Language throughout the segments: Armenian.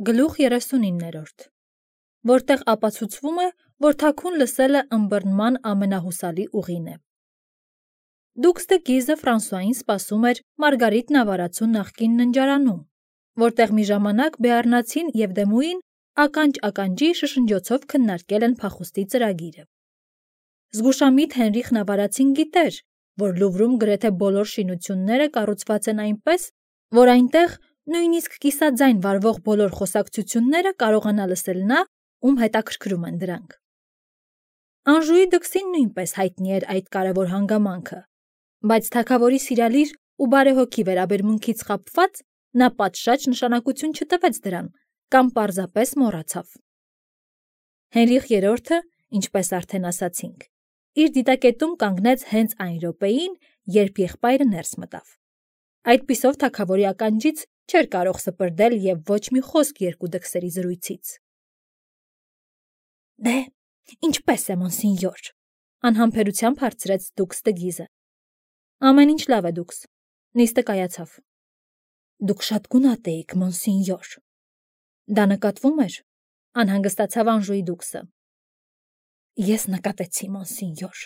Գլուխ 39, որտեղ ապացուցվում է, որ թաքուն լսելը ըմբռնման ամենահուսալի ուղին է։ Դուքս դե Գիզը Ֆրանսուային սպասում էր Մարգարիտ նավարացու նախկին ննջարանում, որտեղ մի ժամանակ Բեառնացին և Դեմուին ականջ-ականջի շշնջոցով քննարկել են փախուստի ծրագիրը։ Զգուշամիտ Հենրիխ նավարացին գիտեր, որ Լուվրում գրեթե բոլոր շինությունները կառուցված են այնպես, որ այնտեղ նույնիսկ կիսաձայն վարվող բոլոր խոսակցությունները կարողանա լսել նա, ում հետաքրքրում են դրանք։ Անժուի դքսին նույնպես հայտնի էր այդ կարևոր հանգամանքը, բայց թագավորի սիրալիր ու բարեհոգի վերաբերմունքից խաբված նա պատշաճ նշանակություն չտվեց դրան կամ պարզապես մոռացավ։ Հենրիխ III, ինչպես արդեն ասացինք, իր դիտակետում կանգնեց հենց այն րոպեին, երբ եղբայրը ներս մտավ։ Այդպիսով թագավորի ականջից չէր կարող սպրդել և ոչ մի խոսք երկու դքսերի զրույցից։ Դե, ինչպես է, մոնսինյոր, անհամբերությամբ հարցրեց դուքս դը Գիզը։ Ամեն ինչ լավ է, դուքս, նիստը կայացավ։ Դուք շատ գունատ էիք, մոնսինյոր։ Դա նկատվում էր, անհանգստացավ Անժուի դուքսը։ Ես նկատեցի, մոնսինյոր։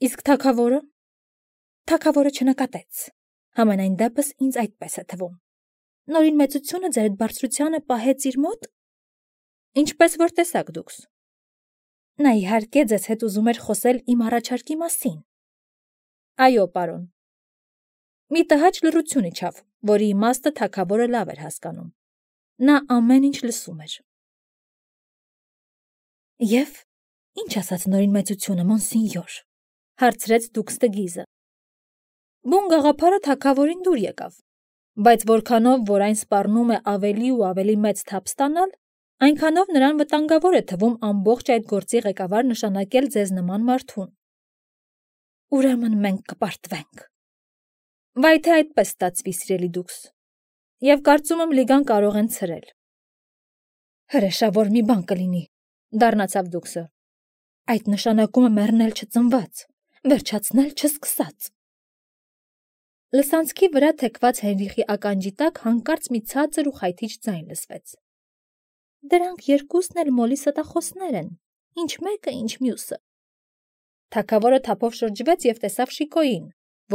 Իսկ թագավորը։ Թագավորը չնկատեց, համենայն դեպս ինձ այդպես է թվում։ Նորին մեծությունը ձեր այդ բարձրությանը պահեց իր մոտ։ Ինչպես որ տեսակ դուքս։ Նա իհարկե ձեզ հետ ուզում էր խոսել իմ առաջարկի մասին։ Այո, պարոն։ Մի տհաճ լռություն իջավ, որի իմաստը թագավորը լավ էր հասկանում։ Նա ամեն ինչ լսում էր։ Եվ ինչ ասաց նորին մեծությունը, մոնսինյոր, հարցրեց դուքս դը Գիզը։ Բուն գաղափարը թագավորին դուր եկավ, բայց որքանով որ այն սպառնում է ավելի ու ավելի մեծ թափ ստանալ, այնքանով նրան վտանգավոր է թվում ամբողջ այդ գործի ղեկավար նշանակել ձեզ նման մարդուն։ Ուրեմն մենք կպարտվենք։ Վայ թե այդպես ստացվի, սիրելի դուքս, և կարծում եմ լիգան կարող են ցրել։ Հրեշավոր մի բան կլինի, դառնացավ դուքսը։ Այդ նշանակում է մեռնել չծնված, վերջացնել չսկսած։ Լսանցքի վրա թեքված Հենրիխի ականջի տակ հանկարծ մի ցածր ու խայթիչ ձայն լսվեց։ Դրանք երկուսն էլ մոլի ստախոսներ են, ինչ մեկը, ինչ մյուսը։ Թագավորը թափով շրջվեց և տեսավ Շիկոյին,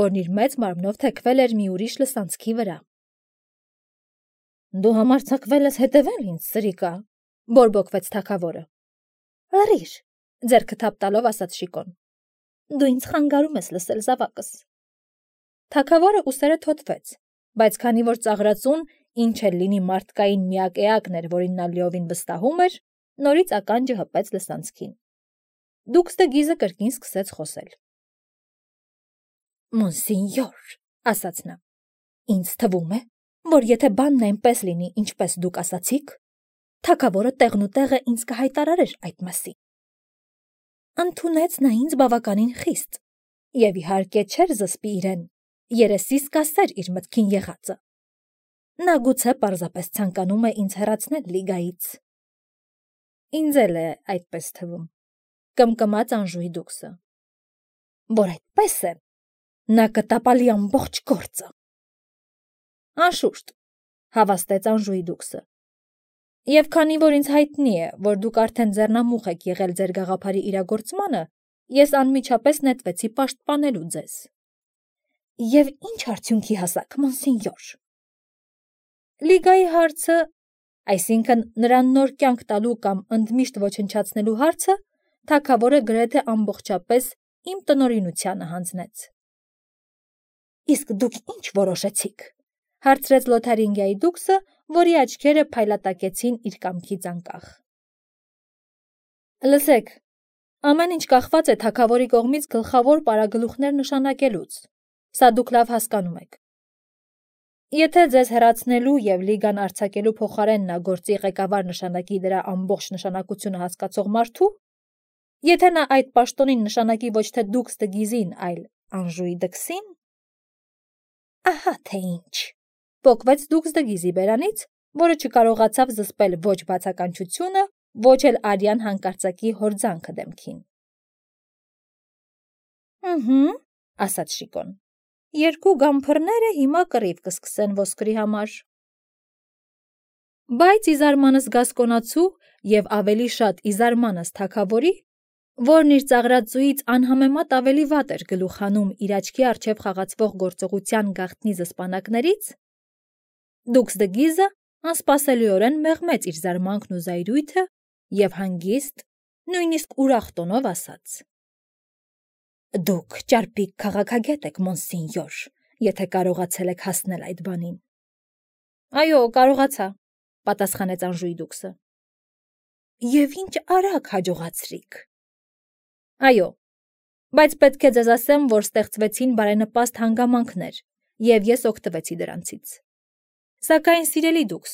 որն իր մեծ մարմնով թեքվել էր մի ուրիշ լսանցքի վրա։ Դու համարձակվել ես հետևել ինձ, սրիկա, բորբոքվեց թագավորը։ Լռիր, ձեռքը թափ տալով ասաց Շիկոն։ Դու ինձ խանգարում ես լսել զավակս։ Թագավորը ուսերը թոթվեց, բայց քանի որ ծաղրածուն, ինչ էլ լինի մարդկային միակ էակն էր, որին նա լիովին վստահում էր, նորից ականջը հպեց լսանցքին։ Դուքս դը Գիզը կրկին սկսեց խոսել։ Մոնսինյոր, ասաց նա, ինձ թվում է, որ եթե բանն այնպես լինի, ինչպես դուք ասացիք, թագավորը տեղնուտեղը ինձ կհայտարարեր այդ մասին։ Ընդունեց նա ինձ բավականին խիստ, և իհարկե չէր զսպի իրեն, երեսիս կասեր իր մտքին եղածը։ Նա գուցե պարզապես ցանկանում է ինձ հեռացնել լիգայից։ Ինձ էլ է այդպես թվում, կմկմաց Անժուի դուքսը։ Որ այդպես է, նա կտապալի ամբողջ գործը։ Անշուշտ, հավաստեց Անժուի դուքսը։ Եվ քանի որ ինձ հայտնի է, որ դուք արդեն ձեռնամուխ եք եղել ձեր գաղափարի իրագործմանը, ես անմիջապես նետվեցի պաշտպանելու ձեզ։ Եվ ինչ արդյունքի հասաք, մոնսինյոր։ Լիգայի հարցը, այսինքն նրան նոր կյանք տալու կամ ընդմիշտ ոչնչացնելու հարցը, թագավորը գրեթե ամբողջապես իմ տնօրինությանը հանձնեց։ Իսկ դուք ինչ որոշեցիք, հարցրեց Լոթարինգիայի դուքսը, որի աչքերը փայլատակեցին իր կամքից անկախ։ Լսեք, ամեն ինչ կախված է թագավորի կողմից գլխավոր պարագլուխներ նշանակելուց, սա դուք լավ հասկանում եք։ Եթե ձեզ հեռացնելու և լիգան արձակելու փոխարեն նա գործի ղեկավար նշանակի դրա ամբողջ նշանակությունը հասկացող մարդու, եթե նա այդ պաշտոնին նշանակի ոչ թե դուքս դը Գիզին, այլ Անժուի դքսին, ահա թե ինչ, պոկվեց դուքս դը Գիզի բերանից, որը չկարողացավ զսպել ոչ բացականչությունը, ոչ էլ արյան հանկարծակի հորձանքը դեմքին։ Ասաց Շիկոն, երկու գամփռները հիմա կռիվ կսկսեն ոսկրի համար։ Բայց իզարմանս գասկոնացու եւ ավելի շատ իզարմանս թագավորի, որն իր ծաղրածուից անհամեմատ ավելի վատ էր գլուխ հանում իր աչքի առջև խաղացվող գործողության գաղտնի զսպանակներից, Դուքս դը Գիզը անսպասելիորեն մեղմեց իր զարմանքն ու զայրույթը եւ հանգիստ, նույնիսկ ուրախ տոնով ասաց. Դուք ճարպիկ քաղաքագետ եք, մոնսինյոր, եթե կարողացել եք հասնել այդ բանին։ Այո, կարողացա, պատասխանեց Անժուի Դուքսը։ Եվ ինչ արագ հաջողացրիք։ Այո, բայց պետք է ձեզ ասեմ, որ ստեղծվեցին բարենպաստ հանգամանքներ, եւ ես օգտվեցի դրանցից։ Սակայն սիրելի Դուքս,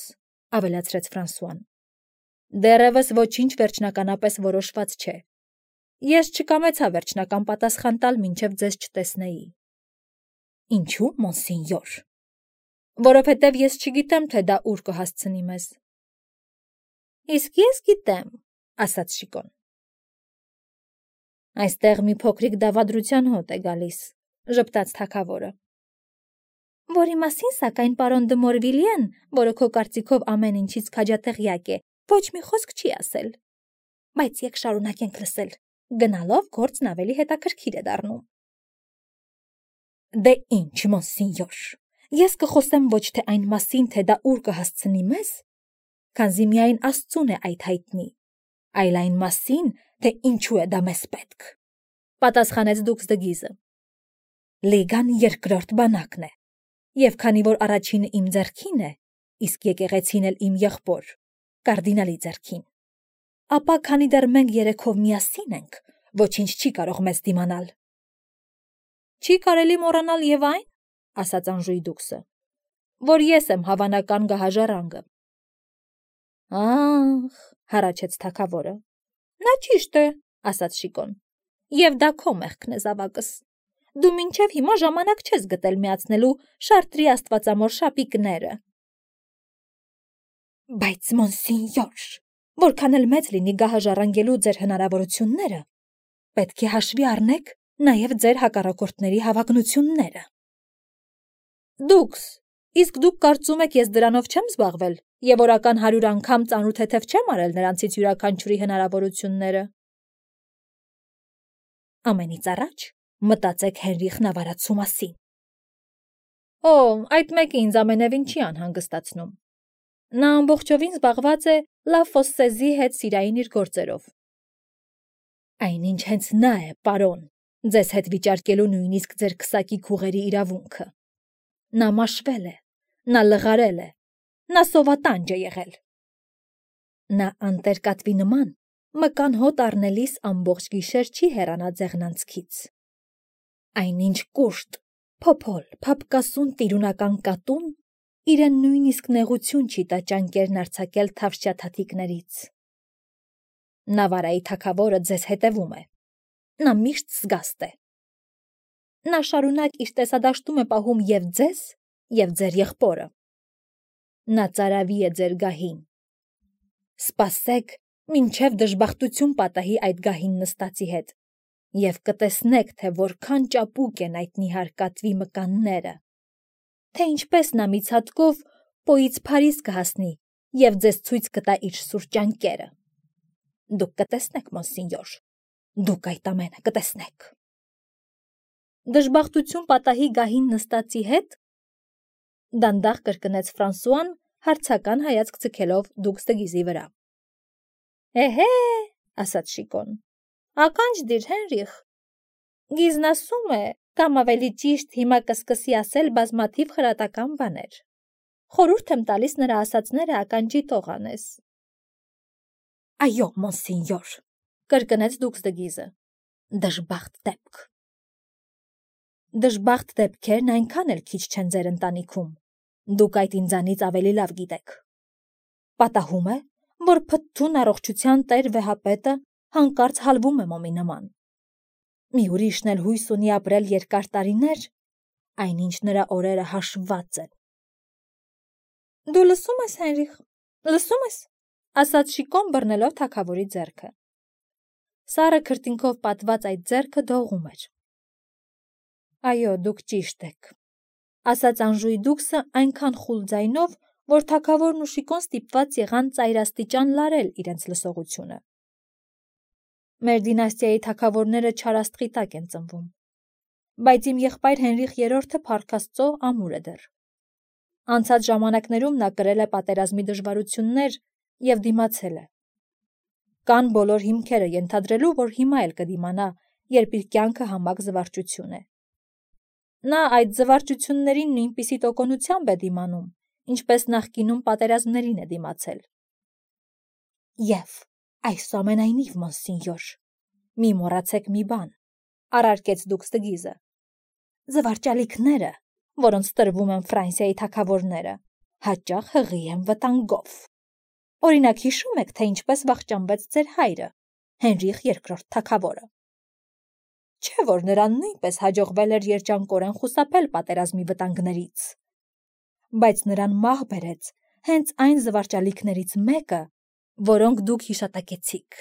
ավելացրեց Ֆրանսուան, դեռևս ոչինչ վերջնականապես որոշված չէ։ Ես չկամեցա վերջնական պատասխան տալ, մինչև ձեզ չտեսնեի։ Ինչու, մոնսինյոր։ Որովհետև ես չգիտեմ, թե դա ուր կհասցնի մեզ։ Իսկ ես գիտեմ, ասաց Շիկոն։ Այստեղ մի փոքրիկ դավադրության հոտ է գալիս, ժպտաց թագավորը։ Որի մասին, սակայն, պարոն դը Մորվիլիեն, որը քո կարծիքով ամեն ինչից քաջատեղյակ է, ոչ մի խոսք չի ասել։ Բայց եք շարունակենք լսել, գնալով գործն ավելի հետաքրքիր է դառնում։ Դե ինչ, մոնսինյոր, ես կխոսեմ ոչ թե այն մասին, թե դա ուր կհասցնի մեզ, քանզի միայն Աստծուն է այդ հայտնի, այլ այն մասին, թե ինչու է դա մեզ պետք, պատասխանեց Դուքս դը Գիզը։ Լիգան երկրորդ բանակն է, եւ քանի որ առաջինը իմ ձեռքին է, իսկ եկեղեցին էլ իմ եղբոր, կարդինալի ձեռքին, ապա քանի դեռ մենք երեքով միասին ենք, ոչինչ չի կարող մեզ դիմանալ։ Չի կարելի մոռանալ եւ այն, ասաց Անժուի Դուքսը, որ ես եմ հավանական գահաժառանգը։ Ահ, հառաչեց թագավորը։ Նա ճիշտ է, ասաց Շիկոն։ Եվ դա քո մեղքն է, զավակս։ Դու մինչև հիմա ժամանակ չես գտել միացնելու Շարտրի աստվածամոր շապիկները։ Բայց մոնսինյոր, որքան էլ մեծ լինի գահաժառանգելու ձեր հնարավորությունները, պետք է հաշվի առնեք նաև ձեր հակառակորդների հավակնությունները։ Դուքս, իսկ դուք կարծում եք, ես դրանով չեմ զբաղվել եւ օրական 100 անգամ ծանոթ չեմ արել նրանցից յուրաքանչյուրի հնարավորությունները։ Ամենից առաջ մտածեք Հենրիխ Նավարացու մասին։ Օ, այդ մեկը ինձ ամենևին չի անհանգստացնում։ Նա ամբողջովին զբաղված է Լա Ֆոսսեզի հետ սիրային իր գործերով։ Այնինչ հենց նա է, պարոն, ձեզ հետ վիճարկելու նույնիսկ ձեր քսակի քուղերի իրավունքը։ Նա մաշվել է, նա լղարել է, նա սովատանջ է եղել։ Նա անտերկատվի նման մկան հոտ առնելիս ամբողջ գիշեր չի հեռանա ձեղնանցքից։ Այնինչ կուշտ, փոփոլ, փափկասուն տիրունական կատուն իրեն նույնիսկ նեղություն չի տա ճանկերն արձակել թավշյաթաթիկներից։ Նավարայի թագավորը ձեզ հետևում է։ Նա միշտ զգաստ է։ Նա շարունակ իր տեսադաշտում է պահում եւ ձեզ, եւ ձեր եղբորը։ Նա ծարավի է ձեր գահին։ Սպասեք, մինչև դժբախտություն պատահի այդ գահին նստածի հետ, եւ կտեսնեք, թե որքան ճապուկ են այդ նիհար կատվի մկանները, թե ինչպես նա մի ցատկով պոից Փարիզ կհասնի եւ ձեզ ցույց կտա իր սուր ճանկերը։ Դուք կտեսնեք, մոնսինյոր, դուք այդ ամենը կտեսնեք։ Դժբախտություն պատահի գահին նստածի հետ, դանդաղ կրկնեց Ֆրանսուան, հարցական հայացք ցկելով Դուքս դը Գիզի վրա։ Էհե, ասաց Շիկոն, ականջ դիր, Հենրիխ։ Գիզն ասում է, կամ ավելի ճիշտ հիմա կսկսի ասել բազմաթիվ խրատական բաներ։ Խորհուրդ եմ տալիս նրա ասածները ականջի տող անես։ Այո, մոնսինյոր, կրկնեց Դուքս դը Գիզը։ Դժբախտ դեպք։ Դժբախտ դեպքերն այնքան էլ քիչ չեն ձեր ընտանիքում։ Դուք այդ ինձանից ավելի լավ գիտեք։ Պատահում է, որ փթթուն առողջության տեր վեհապետը հանկարծ հալվում է մոմի նման։ Մի ուրիշն էլ հույս ունի ապրել երկար տարիներ, այնինչ նրա օրերը հաշվված են։ Դու լսում ես, Հենրիխ, լսում ես, ասաց Շիկոն բռնելով թագավորի ձեռքը։ Սառը քրտինքով պատված այդ ձեռքը դողում էր։ Այո, դուք ճիշտ եք, ասաց Անժուի Դուքսը այնքան խուլ ձայնով, որ թագավորն ու Շիկոն ստիպված եղան ծայրաստիճան լարել իրենց լսողությունը։ Մեր դինաստիայի թագավորները չարաստղի տակ են ծնվում, բայց իմ եղբայր Հենրիխ III-ը փառք Աստծո ամուր է դեռ։ Անցած ժամանակներում նա կրել է պատերազմի դժվարություններ եւ դիմացել է։ Կան բոլոր հիմքերը ենթադրելու, որ հիմա էլ կդիմանա, երբ իր կյանքը համակ զվարճություն է։ Նա այդ զվարճություններին նույնպիսի տոկունությամբ է դիմանում, ինչպես նախկինում պատերազմներին է դիմացել։ Եվ այսուամենայնիվ, մոնսինյոր, մի մոռացեք մի բան, առարկեց դուք Ստգիզը։ Զվարճալիքները, որոնց տրվում են Ֆրանսիայի թագավորները, հաճախ հղի են վտանգով։ Օրինակ, հիշում եք, թե ինչպես վախճանվեց ձեր հայրը, Հենրիխ II թագավորը։ Չէ՞ որ նրան նույնպես հաջողվել էր երջանկորեն խուսափել պատերազմի վտանգներից, բայց նրան մահ բերեց հենց այն զվարճալիքներից մեկը, որոնք դուք հիշատակեցիք։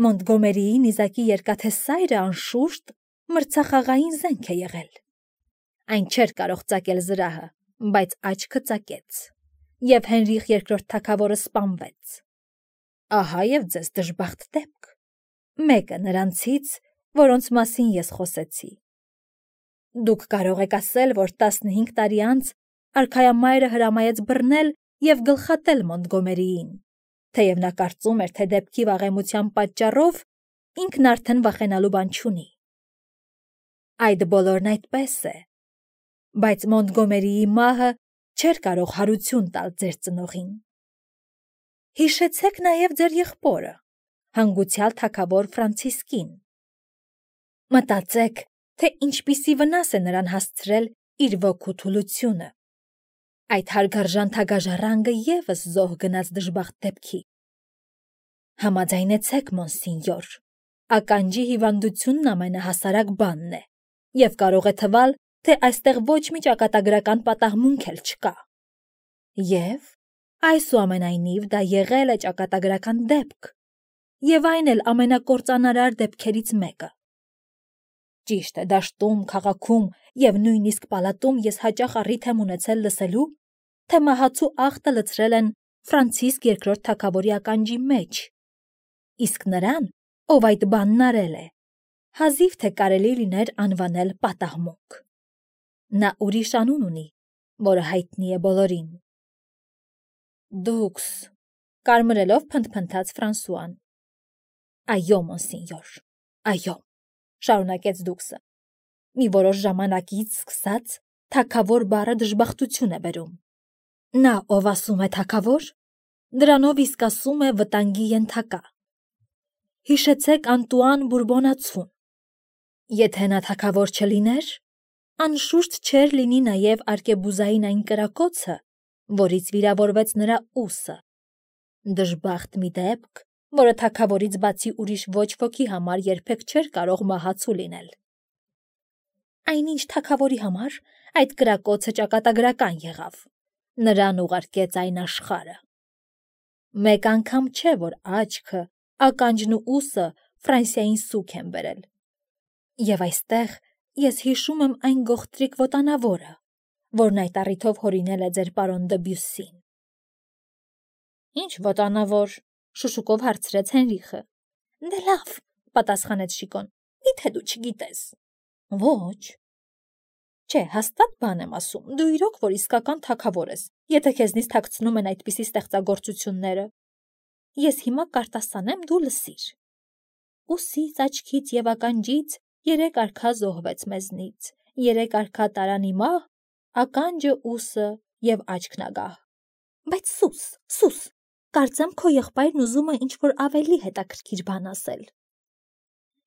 Մոնտգոմերիի նիզակի երկաթե սայրը անշուշտ մրցախաղային զենք է եղել։ Այն չէր կարող ծակել զրահը, բայց աչքը ծակեց, եւ Հենրիխ II թագավորը սպանվեց։ Ահա եւ ձեզ դժբախտ դեպք, մեկը նրանցից, որոնց մասին ես խոսեցի։ Դուք կարող եք ասել, որ 15 տարի անց արքայամայրը հրամայեց բռնել եւ գլխատել Մոնտգոմերիին, թեև նա կարծում էր, թե դեպքի վաղեմության պատճառով ինքն արդեն վախենալու բան չունի։ Այդ բոլորն այդպես է, բայց Մոնտգոմերիի մահը չէր կարող հարություն տալ ձեր ծնողին։ Հիշեցեք նաև ձեր եղբորը, հանգուցյալ թագավոր Ֆրանցիսկին։ Մտածեք, թե ինչպիսի վնաս է նրան հասցրել իր ոգու թուլությունը։ Այդ հարգարժան թագաժառանգը ևս զոհ գնաց դժբախտ դեպքի։ Համաձայնեցեք, մոնսինյոր, ականջի հիվանդությունն ամենահասարակ բանն է, եւ կարող է թվալ, թե այստեղ ոչ մի ճակատագրական պատահմունք էլ չկա։ Եվ այսուամենայնիվ դա եղել է ճակատագրական դեպք, եւ այն էլ ամենակործանարար դեպքերից մեկը։ Ճիշտ է, դաշտում, քաղաքում եւ նույնիսկ պալատում ես հաճախ առիթ եմ ունեցել լսելու, թե մահացու աղտը լցրել են Ֆրանցիսկ II թագավորի ականջի մեջ, իսկ նրան, ով այդ բանն արել է, հազիվ թե կարելի լիներ անվանել պատահմունք։ Նա ուրիշ անուն ունի, որը հայտնի է բոլորին։ Դուքս, կարմրելով փնթփնթաց Ֆրանսուան։ Այո, մոնսինյոր, այո, շարունակեց դուքսը։ Մի որոշ ժամանակից սկսած թագավոր բառը դժբախտություն է բերում։ Նա, ով ասում է թագավոր, դրանով իսկ ասում է վտանգի ենթակա։ Հիշեցեք Անտուան Բուրբոնացուն։ Եթե նա թագավոր չլիներ, անշուշտ չէր լինի նաև արկեբուզային այն կրակոցը, որից վիրավորվեց նրա ուսը։ Դժբախտ մի դեպք, որը թագավորից բացի ուրիշ ոչ ոքի համար երբեք չէր կարող մահացու լինել։ Այնինչ թագավորի համար այդ կրակոցը ճակատագրական եղավ։ Նրան ուղարկեց այն աշխարհը։ Մեկ անգամ չէ, որ աչքը, ականջն ու ուսը Ֆրանսիային սուգ են բերել։ Եվ այստեղ ես հիշում եմ այն գողտրիկ ոտանավորը, որն այդ առիթով հորինել է ձեր պարոն Դբյուսին։ Ինչ ոտանավոր, շշուկով հարցրեց Հենրիխը։ Դե լավ, պատասխանեց Շիկոն, միթե դու չգիտես։ Ոչ։ Չէ, հաստատ բան եմ ասում, դու իրոք որ իսկական թագավոր ես, եթե քեզնից թաքցնում են այդպիսի ստեղծագործությունները։ Ես հիմա կարտասանեմ, դու լսիր։ Ուսից, աչքից եւ ականջից 3 արքա զոհվեց մեզնից, 3 արքա տարան իմահ, ականջը, ուսը եւ աչքն ագահ։ Բայց սուս, կարծեմ քո եղբայրն ուզում է ինչ-որ ավելի հետաքրքիր բան ասել։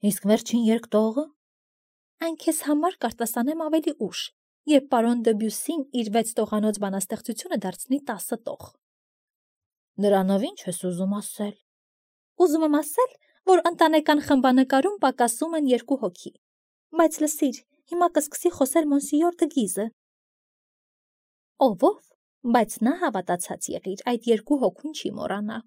Իսկ վերջին երկտողը։ Այն քեզ համար կարտասանեմ ավելի ուշ, երբ պարոն Դբյուսին իր 6 տողանոց բանաստեղծությունը դարձնի 10 տող։ Դրանով ինչ ես ուզում ասել։ Ուզում եմ ասել, որ ընտանեկան խմբանկարում պակասում են 2 հոգի։ Բայց լսիր, հիմա կսկսի խոսել մոնսիյոր Դգիզը։ Ով, բայց նա հավատացած եղիր, այդ 2 հոգուն չի մոռանա։